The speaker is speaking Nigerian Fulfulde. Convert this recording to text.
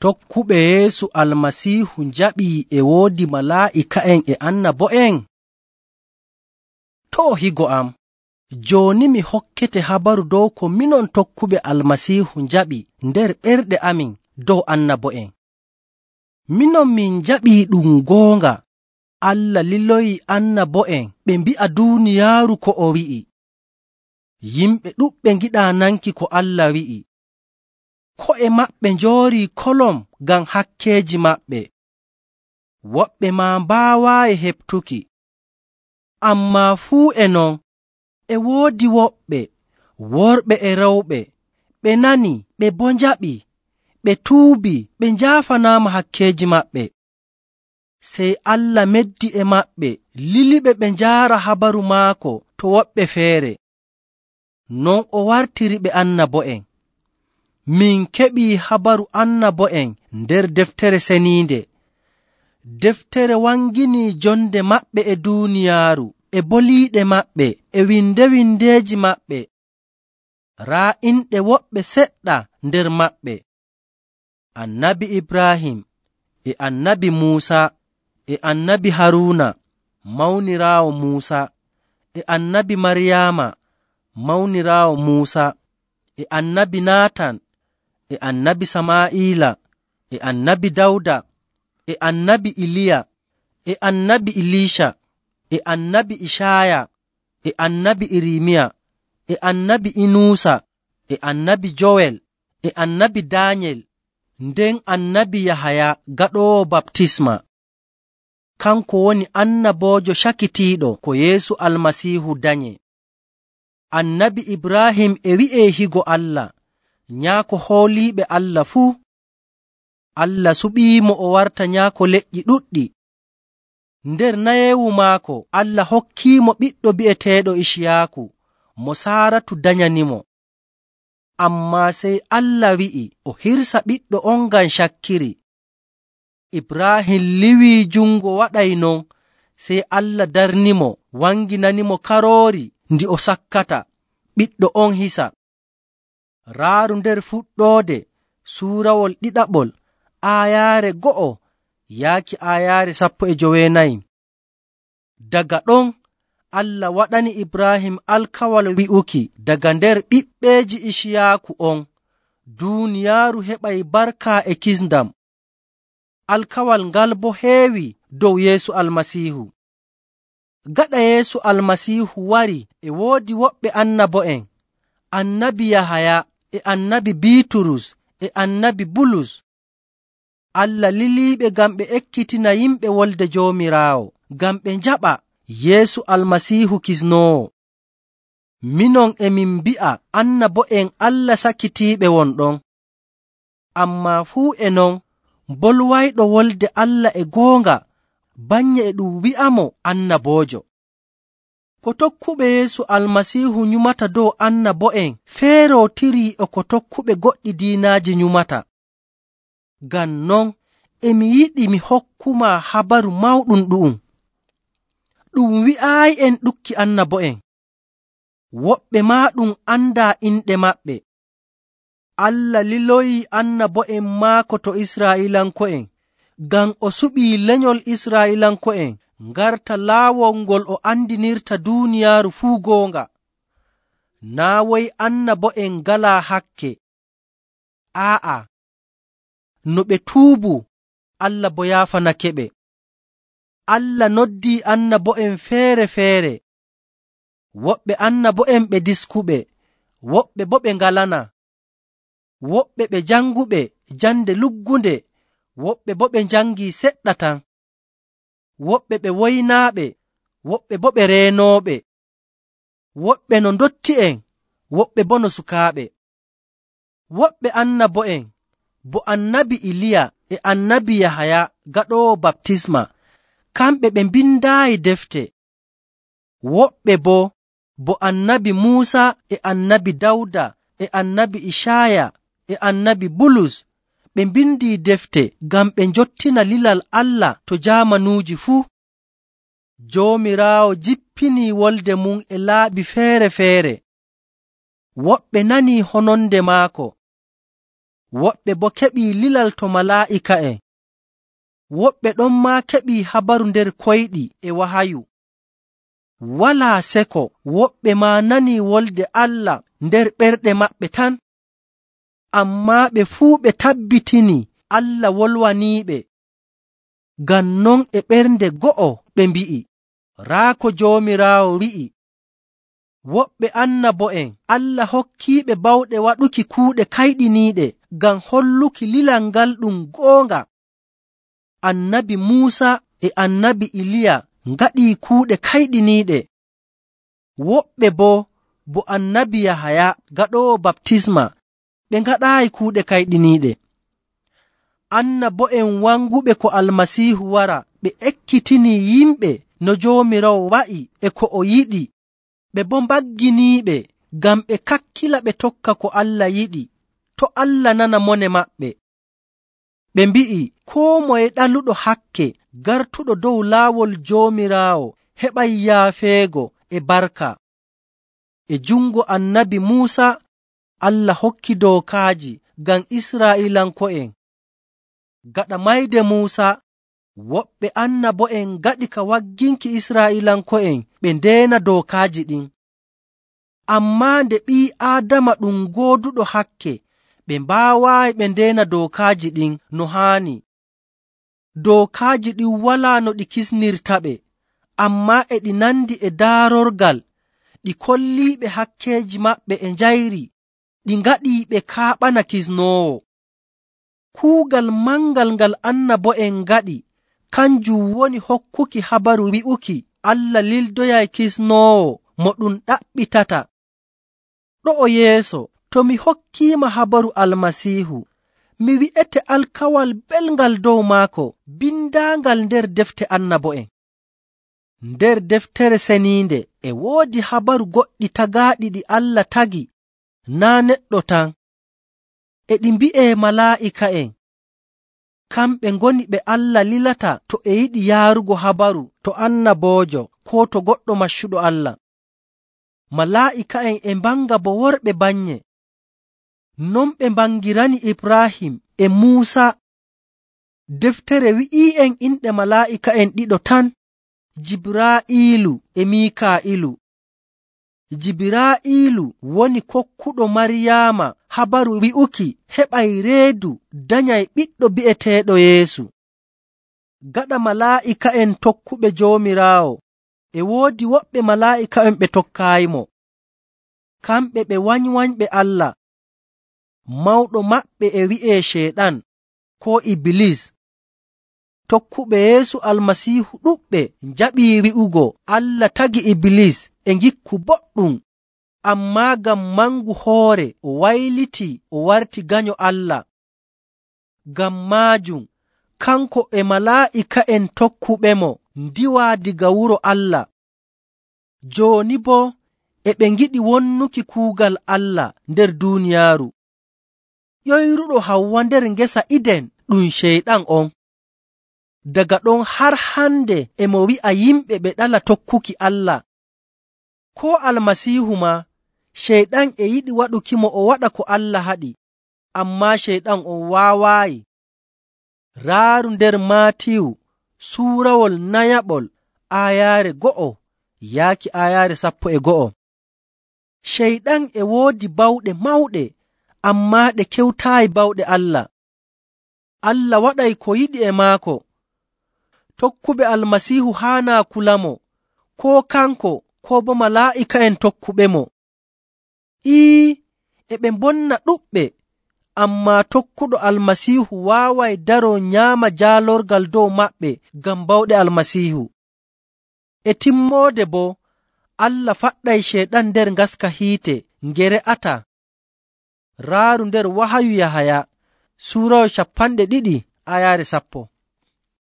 Tokkuɓe Yeesu Almasiihu njaɓii e woodi malaa'ika'en e annabo'en? To' higo am, jooni mi hokkete habaru dow ko minon tokkuɓe Almasiihu njaɓi nder ɓerɗe amin dow annabo'en. Minon min njaɓii ɗum goonga. Allah liloyi annabo'en ɓe mbi'a duuniyaaru ko o wi'i. Yimɓe ɗuɗɓe ngiɗaa nanki ko Allah wi'i. Ko'e maɓɓe njoorii kolom ngam hakkeeji maɓɓe. Woɓɓe maa mbaawaayi heɓtuki. Ammaa fuu e non, e woodi woɓɓe, worɓe e rewɓe, ɓe nani, ɓe boo njaɓi, ɓe tuubi, ɓe njaafanaama hakkeeji maɓɓe. Sey Allah meddi e maɓɓe, liliɓe ɓe njaara habaru maako to woɓɓe feere. Non o wartiriɓe annabo'en. Min keɓii habaru annabo'en nder deftere seniinde. Deftere wanginii jonde maɓɓe e duuniyaaru, e boliiɗe maɓɓe, e windeeji maɓɓe. Raa inɗe woɓɓe seɗɗa nder maɓɓe: Annabi Ibrahim, e Annabi Muusa, e Annabi Haruuna, mawniraawo Muusa, e Annabi Maryaama, mawniraawo Muusa, e Annabi Naatan, e Annabi Samaa'ila, e Annabi Dawda, e Annabi Iliya, e Annabi Iliisha, e Annabi Ishaaya, e Annabi Irmiya, e Annabi Inuusa, e Annabi Jowel, e Annabi Daanyel, nden Annabi Yahaya gaɗoowo baptisma. Kanko woni annaboojo cakitiiɗo ko Yeesu Almasiihu danye. Annabi Ibrahim e wi'ee higo Allah, nyaako hooliiɓe Allah fuu. Allah suɓiimo o warta nyaako leƴƴi ɗuɗɗi. Nder nayeewu maako Allah hokkiimo ɓiɗɗo bi'eteeɗo Iciyaaku mo Saaratu danyanimo. Ammaa sey Allah wi'i o hirsa ɓiɗɗo on ngam cakkiri. Ibrahim liwii jungo waɗay non, sey Allah darnimo, wanginanimo karoori ndi o sakkata, ɓiɗɗo on hisa. Raaru nder fuɗɗoode suurawol ɗiɗaɓol, aayaare 1 yaaki aayaare 14. Daga ɗon Allah waɗani Ibrahim alkawal wi'uki daga nder ɓiɓɓeeji Iciyaaku on, duuniyaaru heɓay barka e kisndam. Alkawal ngal boo heewi dow Yeesu Almasiihu. Gaɗa Yeesu Almasiihu wari, e woodi woɓɓe annabo'en, Annabi Yahaya, e Annabi Biiturus, e Annabi Bulus. Allah liliiɓe ngam ɓe ekkitina yimɓe wolde Joomiraawo, ngam ɓe njaɓa Yeesu Almasiihu kisnoowo. Minon e min mbi'a annabo'en Allah sakitiiɓe wonɗon. Ammaa fuu e non, bolwayɗo wolde Allah e goonga, banye e ɗum wi'amo annaboojo. Ko tokkuɓe Yeesu Almasiihu nyumata dow annabo'en feerootirii e ko tokkuɓe goɗɗi diinaaji nyumata. Ngam non, emi yiɗi mi hokkumaa habaru mawɗum ɗu'um. Ɗum wi'aayi en ɗukki annabo'en. Woɓɓe maa ɗum andaa inɗe maɓɓe. Allah liloyii annabo'en maako to Israa'iilanko'en, ngam o suɓii lenyol Israa'iilanko'en ngarta laawol ngol o andinirta duuniyaaru fuu goonga. Naa woy annabo'en ngalaa hakke. Aa'a, no ɓe tuubu, Allah boo yaafanakeɓe. Allah noddii annabo'en feere-feere. Woɓɓe annabo'en ɓe diskuɓe, woɓɓe boo ɓe ngalana. Woɓɓe ɓe janguɓe jande luggunde, woɓɓe boo ɓe njangii seɗɗa tan. Woɓɓe ɓe woynaaɓe, woɓɓe boo ɓe reenooɓe. Woɓɓe no ndotti'en, woɓɓe boo no sukaaɓe. Woɓɓe annabo'en bo Annabi Iliya e Annabi Yahaya gaɗoowo baptisma, kamɓe ɓe mbindaayi defte. Woɓɓe bo Annabi Muusa e Annabi Dawda e Annabi Ishaaya e Annabi Bulus, ɓe mbindii defte ngam ɓe njottina lilal Allah to jaamanuuji fuu. Joomiraawo jippinii wolde mum e laaɓi feere-feere. Woɓɓe nanii hononde maako, woɓɓe boo keɓii lilal to malaa'ika'en. Woɓɓe ɗon maa keɓii habaru nder koyɗi e wahayu. Walaa seko woɓɓe maa nanii wolde Allah nder ɓerɗe maɓɓe tan. Ammaa ɓe fuu ɓe tabbitini Allah wolwaniiɓe. Ngam non e ɓernde go'o ɓe mbi'i, raa ko Joomiraawo wi'i. Woɓɓe annabo'en Allah hokkiiɓe bawɗe waɗuki kuuɗe kayɗiniiɗe ngam holluki lilal ngal ɗum goonga. Annabi Muusa e annabi Iliya ngaɗii kuuɗe kayɗiniiɗe. Woɓɓe bo annabi Yahaya gaɗoowo baptisma ɓe ngaɗaayi kuuɗe kayɗiniiɗe. Annabo'en wanguɓe ko Almasiihu wara ɓe ekkitinii yimɓe no Joomiraawo wa'i e ko o yiɗi. Ɓe boo mbagginiiɓe ngam ɓe kakkila ɓe tokka ko Allah yiɗi, to Allah nana mone maɓɓe. Ɓe mbi'i koo moye ɗaluɗo hakke gartuɗo dow laawol Joomiraawo heɓay yaafeego e barka. E jungo annabi Muusa Allah hokki dookaaji ngam Israa'iilanko'en. Gaɗa mayde Muusa, woɓɓe annabo'en ngaɗi ka wagginki Israa'iilanko'en ɓe ndeena dookaaji ɗin. Ammaa nde ɓii Aadama ɗum gooduɗo hakke, ɓe mbaawaayi ɓe ndeena dookaaji ɗin no haani. Dookaaji ɗin walaa no ɗi kisnirtaɓe, ammaa e ɗi nandi e daarorgal, ɗi kolliiɓe hakkeeji maɓɓe e njayri, ɗi ngaɗii ɓe kaaɓana kisnoowo. Kuugal mangal ngal annabo'en ngaɗi kanjum woni hokkuki habaru wi'uki Allah lildoyay kisnoowo mo ɗum ɗaɓɓitata. Ɗo'o yeeso, to mi hokkiima habaru Almasiihu, mi wi'ete alkawal belngal dow maako bindaangal nder defte annabo'en. Nder deftere seniinde e woodi habaru goɗɗi tagaaɗi ɗi Allah tagi, naa neɗɗo tan. E ɗi mbi'ee malaa'ika'en. Kamɓe ngoni ɓe Allah lilata to e yiɗi yaarugo habaru to annaboojo koo to goɗɗo maccuɗo Allah. Malaa'ika'en e mbanga bo worɓe bannye. Non ɓe mbangirani Ibraahim e Muusa. Deftere wi'ii'en inɗe malaa'ika'en ɗiɗo tan, Jibraa'iilu e Miikaa'ilu. Jibraa'iilu woni kokkuɗo Maryaama habaru wi'uki heɓay reedu danyay ɓiɗɗo bi'eteeɗo Yeesu. Gaɗa malaa'ika'en tokkuɓe Joomiraawo, e woodi woɓɓe malaa'ika'en ɓe tokkaayimo. Kamɓe ɓe wanywanyɓe Allah. Mawɗo maɓɓe e wi'ee Ceyɗan koo Ibilis. Tokkuɓe Yeesu Almasiihu ɗuɗɓe njaɓii wi'ugo Allah tagi Ibilis e ngikku boɗɗum, ammaa ngam mangu hoore o waylitii o warti ganyo Allah. Ngam maajum kanko e malaa'ika'en tokkuɓemo ndiwaa diga wuro Allah. Jooni boo e ɓe ngiɗi wonnuki kuugal Allah nder duuniyaaru. Ƴoyruɗo Hawwa nder ngesa Iden ɗum Ceyɗan on. Daga ɗon har hande e mo wi'a yimɓe ɓe ɗala tokkuki Allah. Koo Almasiihu maa, Ceyɗan e yiɗi waɗukimo o waɗa ko Allah haɗi, ammaa Ceyɗan on waawaayi. Raaru nder Maatiyu suurawol nayaɓol aayaare 1 yaaki aayaare 11. Ceyɗan e woodi bawɗe mawɗe, ammaa ɗe kewtaayi bawɗe Allah. Allah waɗay ko yiɗi e maako. Tokkuɓe Almasiihu haanaa kulamo, koo kanko koo bo malaa'ika'en tokkuɓemo. E ɓe mbonna ɗuɗɓe, ammaa tokkuɗo Almasiihu waaway daroo nyaama jaalorgal dow maɓɓe ngam bawɗe Almasiihu. E timmoode boo, Allah faɗɗay Ceyɗan nder ngaska hiite nge re'ataa. Raaru nder wahayu Yahaya suurawol 20 aayaare 10.